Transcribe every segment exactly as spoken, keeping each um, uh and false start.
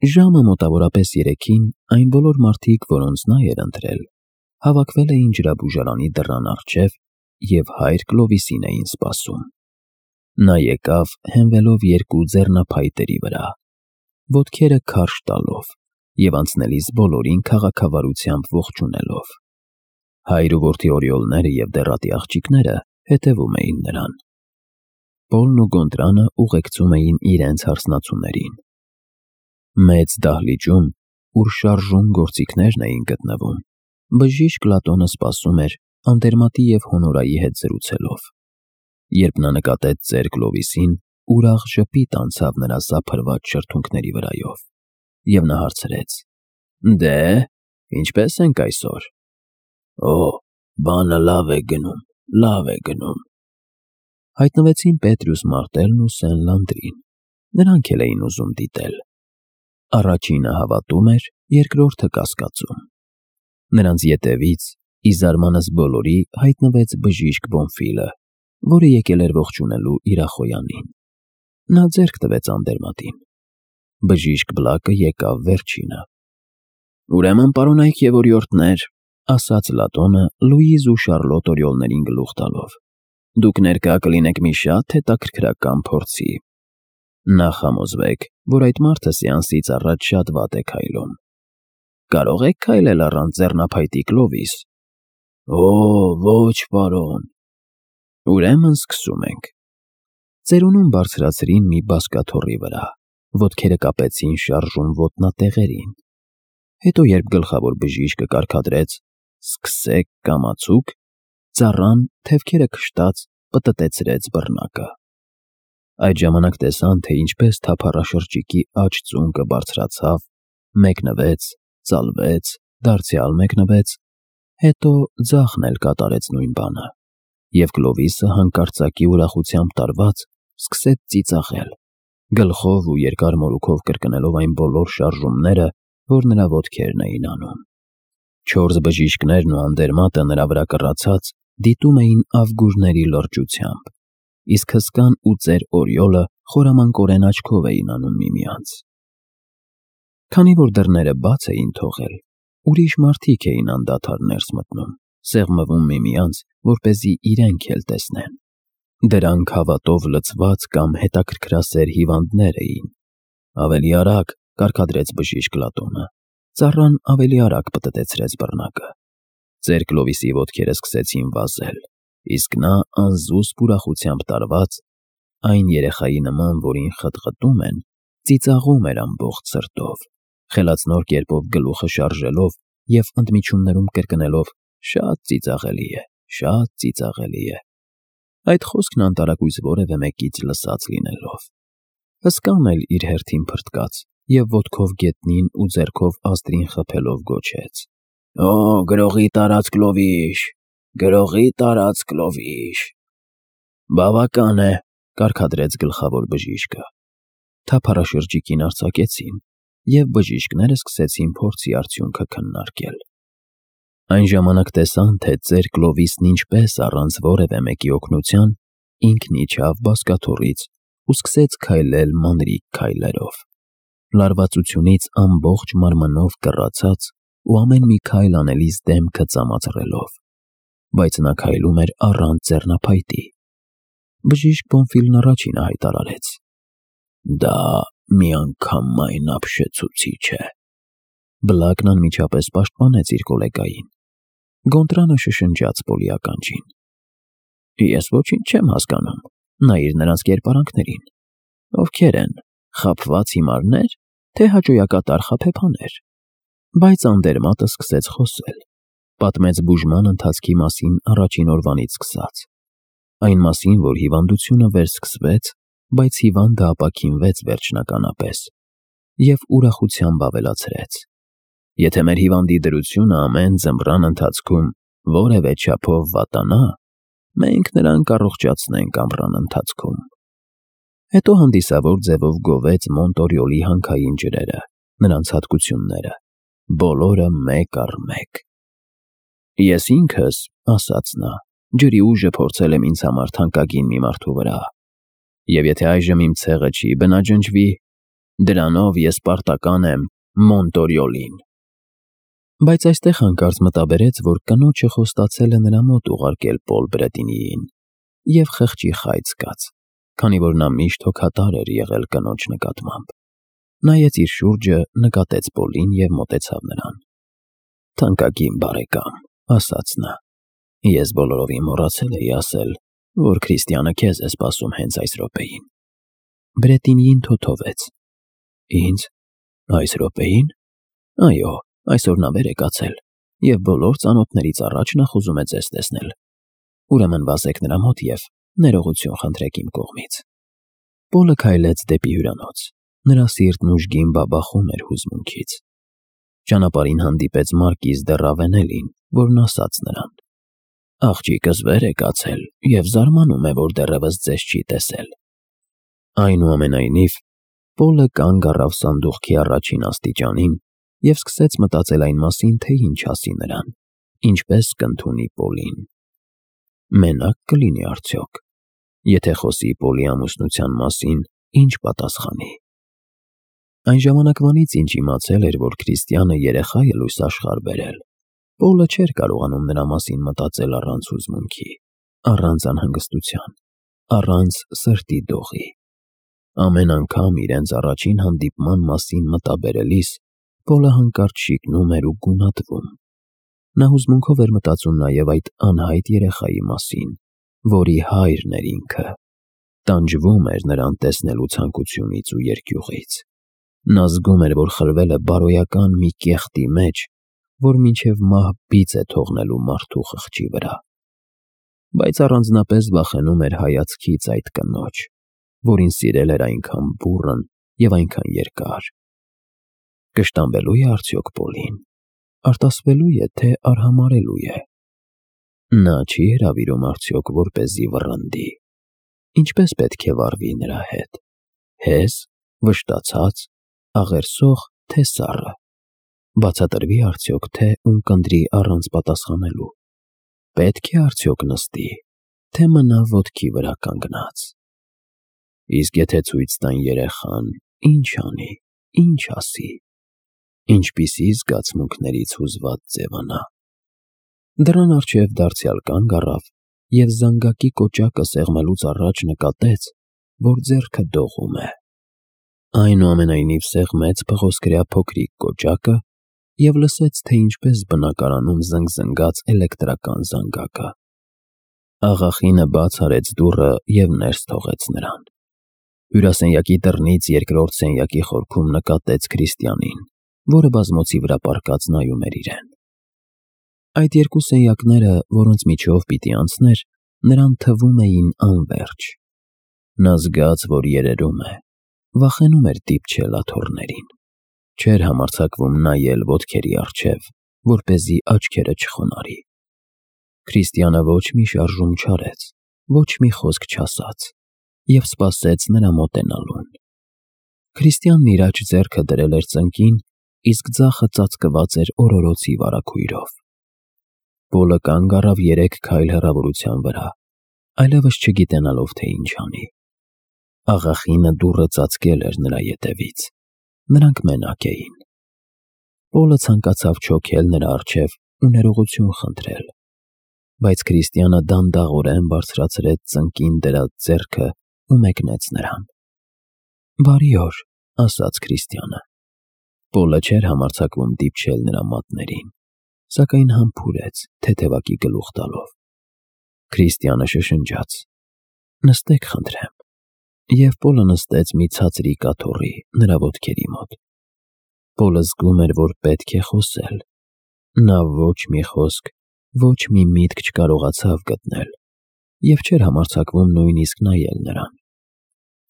Ժամը մոտավորապես երեքին այն բոլոր մարդիկ, որոնց նա էր ընտրել, հավաքվել էին ջրաբուժարանի դռան առջև և հայր Կլովիսին էին սպասում։ Նա եկավ հենվելով երկու ձեռնափայտերի վրա, ոտքերը քարշ տալով և անցնելիս բոլորին քաղաքավարությամբ ողջունելով։ Հայր ու որդի օրիոլները և դեռատի աղջիկները հետևում էին նրան։ Պոլն ու Գոնդրանը ուղեկցում էին իրենց հարսնացուներին։ Մեծ դահլիճում, ուր շարժուն գործիքներն էին գտնվում, բժիշկ Լատոնը սպասում էր Անդերմատի և Հոնորայի հետ զրուցելով։ Երբ նա նկատեց ծեր Կլովիսին, ուրախ ժպիտ անցավ նրա սափրված շրթունքների վրայով, և նա հարցրեց. «Դե, ինչպե՞ս ենք այսօր»։ «Օ, բանը լավ է գնում, լավ է գնում»։ Հայտնվեցին Պետրուս Մարտելն ու Սեն Լանդրին, նրանք էլ էին ուզում դիտել։ Առաջինը հավատում էր, երկրորդը կասկածում։ Նրանց ետևից, ի զարմանս բոլորի, հայտնվեց բժիշկ Բոնֆիլը, որը եկել էր ողջունելու իր ախոյանին։ Նա ձեռք տվեց Անդերմատին։ Բժիշկ Բլակը եկավ վերջինը։ «Ուրեմն, պարոնայք և օրիորդներ», ասաց Լատոնը Լուիզ ու Շարլոտ օրիոլներին գլուխ տալով, «դուք ներկա կլինեք մի շատ հետաքրքրական փորձի։ Նախ համոզվեք, որ այդ մարդը սեանսից առաջ շատ վատ է քայլում։ Կարո՞ղ եք քայլել առանց ձեռնափայտի, Կլովիս»։ «Օ, ոչ, պարոն»։ «Ուրեմն սկսում ենք»։ Ծերունուն բարձրացրին մի բազկաթոռի վրա, ոտքերը կապեցին շարժուն ոտնատեղերին։ Հետո, երբ գլխավոր բժիշկը կարգադրեց «Սկսեք, կամացուկ», ծառան, թևքերը քշտած, պտտեցրեց բռնակը։ Այդ ժամանակ տեսան, թե ինչպես թափառաշրջիկի աջ ծունկը բարձրացավ, մեկնվեց, ծալվեց, դարձյալ մեկնվեց, հետո ձախն էլ կատարեց նույն բանը, և Կլովիսը հանկարծակի ուրախությամբ տարված սկսեց ծիծաղել, գլխով ու երկար մորուքով կրկնելով այն բոլոր շարժումները, որ նրա ոտքերն էին անում։ Չորս բժիշկներն ու Անդերմատը նրա վրա կռացած դիտում էին ավգուրների լրջությամբ, իսկ հսկան ու ծեր Օրիոլը խորամանկորեն աչքով էին անում միմյանց։ Քանի որ դռները բաց էին թողել, ուրիշ մարդիկ էին անդադար ներս մտնում, սեղմվում միմյանց, որպեսզի իրենք էլ տեսնեն։ Դրանք հավատով լցված կամ հետաքրքրասեր հիվանդներ էին։ «Ավելի արագ», կարգադրեց բժիշկ Լատոնը։ Ծառան ավելի արագ պտտեցրեց բռնակը։ Ծեր Կլովիսի ոտքերը սկսեցին վազել, իսկ նա անզուսպ ուրախությամբ տարված, այն երեխայի նման, որին խտխտում են, ծիծաղում էր ամբողջ սրտով, խելացնոր կերպով գլուխը շարժելով և ընդմիջումներում կրկնելով. «Շատ ծիծաղելի է, շատ ծիծաղելի է»։ Այդ խոսքն անտարակույս որևէ մեկից լսած լինելով։ Հսկան էլ իր հերթին փրկաց և ոտքով գետնին ու ձեռքով ազդրին խփելով գոչեց. «Օ, գրողի տարած Կլովիշ, գրողի տարած Կլովիշ»։ «Բավական է», կարգադրեց գլխավոր բժիշկը։ Թափառաշրջիկին արձակեցին, և բժիշկները սկսեցին փորձի արդյունքը քննարկել։ Այն ժամանակ տեսան, թե ծեր Կլովիսն ինչպես առանց որևէ մեկի օգնության ինքն իջավ բազկաթոռից ու սկսեց քայլել մանրիկ քայլերով, լարվածությունից ամբողջ մարմնով կռացած ու ամեն մի քայլ անելիս դեմքը ծամածռելով, բայց նա քայլում էր առանց ձեռնափայտի։ Բժիշկ Բոնֆիլն առաջինը հայտարարեց. «Դա միանգամայն ապշեցուցիչ է»։ Բլակն անմիջապես պաշտպանեց իր գոլեգային։ Գոնդրանը շշնջաց Պոլի ականջին. «Ես ոչինչ չեմ հասկանում, նայիր նրանց կերպարանքներին։ Ովքեր են, խաբված հիմարնե՞ր, թե հաճոյակատար խաբեբաներ»։ Բայց Անդերմատը սկսեց խոսել, պատմեց բուժման ընթացքի մասին առաջին օրվանից սկսած, այն մասին, որ հիվանդությունը վերսկսվեց, բայց հիվանդը ապաքինվեց վերջնականապես, և ուրախությամբ ավելացրեց. «Եթե մեր հիվանդի դրությունը ամեն ձմռան ընթացքում որևէ չափով վատանա, մենք նրան կառողջացնենք ամռան ընթացքում»։ Հետո հանդիսավոր ձևով գովեց Մոնտ Օրիոլի հանքային ջրերը, նրանց հատկությունները, բոլորը մեկ առ մեկ։ «Ես ինքս», ասաց նա, «ջրի ուժը փորձել եմ ինձ համար թանկագին մի մարդու վրա, և եթե այժմ իմ ցեղը չի բնաջնջվի, Դրանով ես պարտական եմ Մոնտորիոլին։ Բայց այստեղ հանկարծ մտաբերեց, որ կնոջը խոստացել է նրա մոտ ուղարկել Պոլ Բրետինիին, և խղճի խայծ զգաց, քանի որ նա միշտ հոգատար էր եղել կնոջ նկատմամբ։ Նայեց իր շուրջը, նկատեց Պոլին և մոտեցավ նրան։ «Թանկագին բարեկամ», ասաց նա, «ես բոլորովին մոռացել էի ասել, որ Քրիստիանը քեզ է սպասում հենց այս րոպեին»։ Բրետինիին թոթվեց։ «Ինձ… այս րոպեին… Այո, այսօր նա վեր է կացել, և բոլոր ծանոթներից առաջ նա խոզում է ձեզ տեսնել։ Ուրեմն վազեք նրա մոտ և ներողություն խնդրեք իմ կողմից»։ Պոլը քայլեց դեպի հյուրանոց։ Նրա սիրտն ուժգին բաբախում էր հուզմունքից։ Ճանապարհին հանդիպեց Մարկիզ դե Ռավենելին, որն ասաց նրան. «Աղջիկս վեր է կացել և զարմանում է, որ դեռևս ձեզ չի տեսել»։ Այնուամենայնիվ, Պոլը կանգ առավ սանդուղքի առաջին աստիճանին և սկսեց մտածել այն մասին, թե ինչ ասի նրան, ինչպես կընդունի Պոլին։ Մենակ կլինի արդյոք։ Եթե խոսի Պոլի ամուսնության մասին, ինչ պատասխանի։ Այն ժամանակվանից, ինչ իմացել էր, որ Քրիստիանը երեխա է լույս աշխարհ բերել, Պոլը չէր կարողանում նրա մասին մտածել առանց հուզմունքի, առանց անհանգստության, առանց սրտի դողի։ Ամեն անգամ իրենց առաջին հանդիպման մասին մտաբերելիս Պոլը հանկարծ շիկնում էր ու գունատվում։ Նա հուզմունքով էր մտածում նաև այդ անհայտ երեխայի մասին, որի հայրն էր ինքը, տանջվում էր նրան տեսնելու ցանկությունից ու երկյուղից։ Նա զգում էր, որ խրվել է բարոյական մի կեղտի մեջ, որ մինչև մահ բիծ է թողնելու մարդու խղճի վրա։ Բայց առանձնապես վախենում էր հայացքից այդ կնոջ, որին սիրել էր այնքան բուռն և այնքան երկար։ Կշտամբելո՞ւ է արդյոք Պոլին։ Արտասվելո՞ւ է, թե արհամարհելո՞ւ է։ Նա չի հրավիրում արդյոք, որպեսզի վռնդի։ Ինչպե՞ս պետք է վարվի նրա հետ։ Հեզ, վշտացած, աղերսող, թե սառը։ Բացատրվի՞ արդյոք, թե ունկնդրի առանց պատասխանելու։ Պետք է արդյոք նստի, թե մնա ոտքի վրա կանգնած։ Իսկ եթե ցույց տան երեխան, ի՞նչ անի, ի՞նչ ասի։ Ինչպիսի զգացմունքներից հուզված ձևանա։ Դռան առջև դարձյալ կանգ առավ և զանգակի կոճակը սեղմելուց առաջ նկատեց, որ ձեռքը դողում է։ Այնուամենայնիվ սեղմեց փղոսկրյա փոքրիկ կոճակը և լսեց, թե ինչպես բնակարանում զնգզնգաց էլեկտրական զանգակը։ Աղախինը բաց արեց դուռը և ներս թողեց նրան։ Հյուրասենյակի դռնից երկրորդ սենյակի խորքում նկատեց Քրիստիանին, որը բազմոցի վրա պառկած նայում էր իրեն։ Այդ երկու սենյակները, որոնց միջով պիտի անցներ, նրան թվում էին անվերջ։ Նա զգաց, որ երերում է, վախենում էր դիպչել աթոռներին։ Չէր համարձակվում նայել ոտքերի առջև, որպեսզի աչքերը չխոնարհի։ Քրիստիանը ոչ մի շարժում չարեց, ոչ մի խոսք չասաց և սպասեց նրա մոտենալուն։ Քրիստիանն իր աջ ձեռքը դրել էր ծնկին, իսկ ձախը ծածկված էր օրորոցի վարագույրով։ Պոլը կանգ առավ երեք քայլ հեռավորության վրա, այլևս չգիտենալով, թե ինչ անի։ Աղախինը դուռը ծածկել էր նրա ետևից։ Նրանք մենակ էին։ Պոլը ցանկացավ չոքել նրա առջև ու ներողություն խնդրել։ Բայց Քրիստիանը դանդաղորեն բարձրացրեց ծնկին դրած ձեռքը ու մեկնեց նրան։ «Բարի օր», ասաց Քրիստիանը։ Պոլը չէր համարձակվում դիպչել նրա մատներին, սակայն համբուրեց, թեթևակի գլուխ տալով։ Քրիստիանը շշնջաց. «Նստեք, խնդրեմ»։ Եվ Պոլը նստեց մի ցածրիկ աթոռի նրա ոտքերի մոտ։ Պոլը զգում էր, որ պետք է խոսել։ Նա ոչ մի խոսք, ոչ մի միտք չկարողացավ գտնել և չէր համարձակվում նույնիսկ նայել նրան։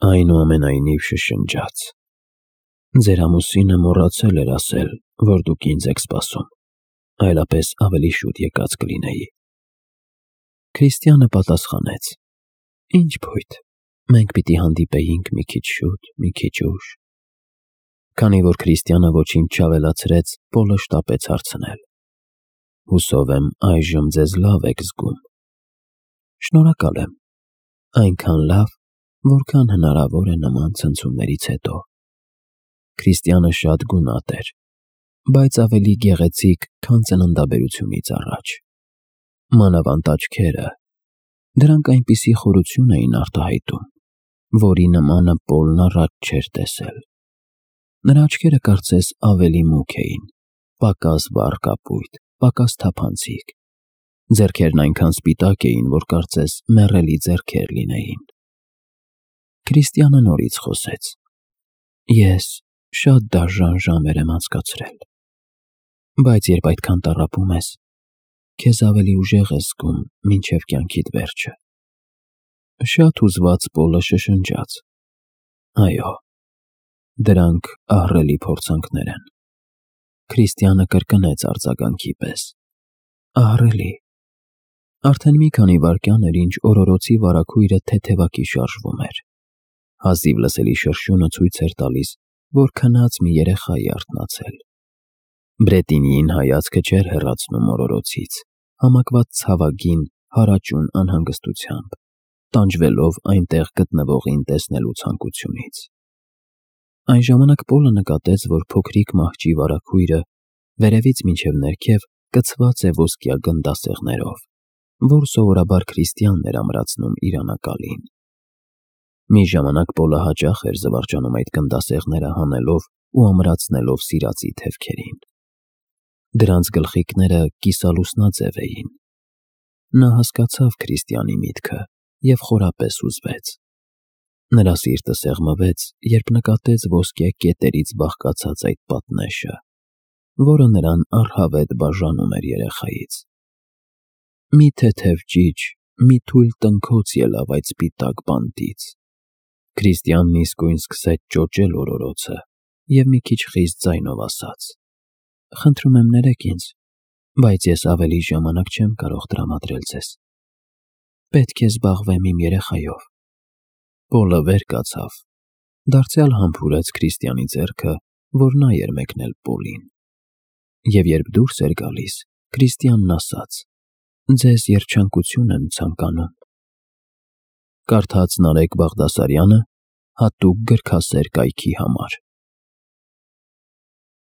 Այնուամենայնիվ շշնջաց. «Ձեր ամուսինը մոռացել էր ասել, որ դուք ինձ եք սպասում, այլապես ավելի շուտ եկած կլինեի»։ Քրիստիանը պատասխանեց. «Ինչ փույթ, մենք պիտի հանդիպեինք մի քիչ շուտ, մի քիչ ուշ»։ Քանի որ Քրիստիանը ոչինչ չավելացրեց, Պոլը շտապեց հարցնել. «Հուսով եմ այժմ ձեզ լավ եք զգում»։ «Շնորհակալ եմ, այնքան լավ, որքան հնարավոր է նման ցնցումներից հետո»։ Քրիստիանը շատ գունատ էր, բայց ավելի գեղեցիկ, քան ծննդաբերությունից առաջ։ Մանավանդ աչքերը, դրանք այնպիսի խորություն էին արտահայտում, որի նմանը Պոլն առաջ չէր տեսել։ Նրա աչքերը կարծես ավելի մուգ էին, պակաս վառ կապույտ, պակաս թափանցիկ։ Ձեռքերն այնքան սպիտակ էին, որ կարծես մեռելի ձեռքեր լինեին։ Քրիստիանը նորից խոսեց. Ես շատ դաժան ժամեր եմ անցկացրել, բայց երբ այդքան տառապում ես, քեզ ավելի ուժեղ ես զգում մինչև կյանքիդ վերջը։ Շատ հուզված Պոլը շշնջաց. Այո, դրանք ահռելի փորձանքներ են։ Քրիստիանը կրկնեց արձագանքի պես. Ահռելի։ Արդեն մի քանի վայրկյան էր, ինչ օրորոցի վարագույրը թեթևակի շարժվում էր։ Հազիվ լսելի շրշյունը ցույց էր տալիս, որ քնած մի երեխա է արթնացել։ Բրետինիին հայացքը չէր հեռացնում օրորոցից, համակված ցավագին, հարաճուն անհանգստությամբ, տանջվելով այնտեղ գտնվողին տեսնելու ցանկությունից։ Այն ժամանակ Պոլը նկատեց, որ փոքրիկ մահճի վարագույրը վերևից մինչև ներքև կցված է ոսկյա գնդասեղներով, որ սովորաբար քրիստիանն էր ամրացնում իր անակալին։ Մի ժամանակ Պոլը հաճախ էր զվարճանում այդ գնդասեղները հանելով ու ամրացնելով սիրածի թևքերին։ Դրանց գլխիկները կիսալուսնաձև էին։ Նա հասկացավ քրիստիանի միտքը և խորապես հուզվեց։ Նրա սիրտը սեղմվեց, երբ նկատեց ոսկյա կետերից բաղկացած այդ պատնեշը, որը նրան առհավետ բաժանում էր երեխայից։ Մի թեթև ճիչ, մի թույլ տնքոց ելավ այդ սպիտակ բանտից։ Քրիստիանն իսկույն սկսեց ճոճել օրորոցը և մի քիչ խիստ ձայնով ասաց. Խնդրում եմ ներեք ինձ, բայց ես ավելի ժամանակ չեմ կարող տրամադրել ձեզ։ Պետք է զբաղվեմ իմ երեխայով։ Պոլը վեր կացավ, դարձյալ համբուրեց Քրիստիանի ձեռքը, որ նա էր մեկնել Պոլին։ Եվ երբ դուրս էր գալիս, Քրիստիանն ասաց. Ձեզ երջանկություն եմ ցանկանում։ Կարդաց Նարեկ Բաղդասարյանը հատուկ գրքասեր կայքի համար։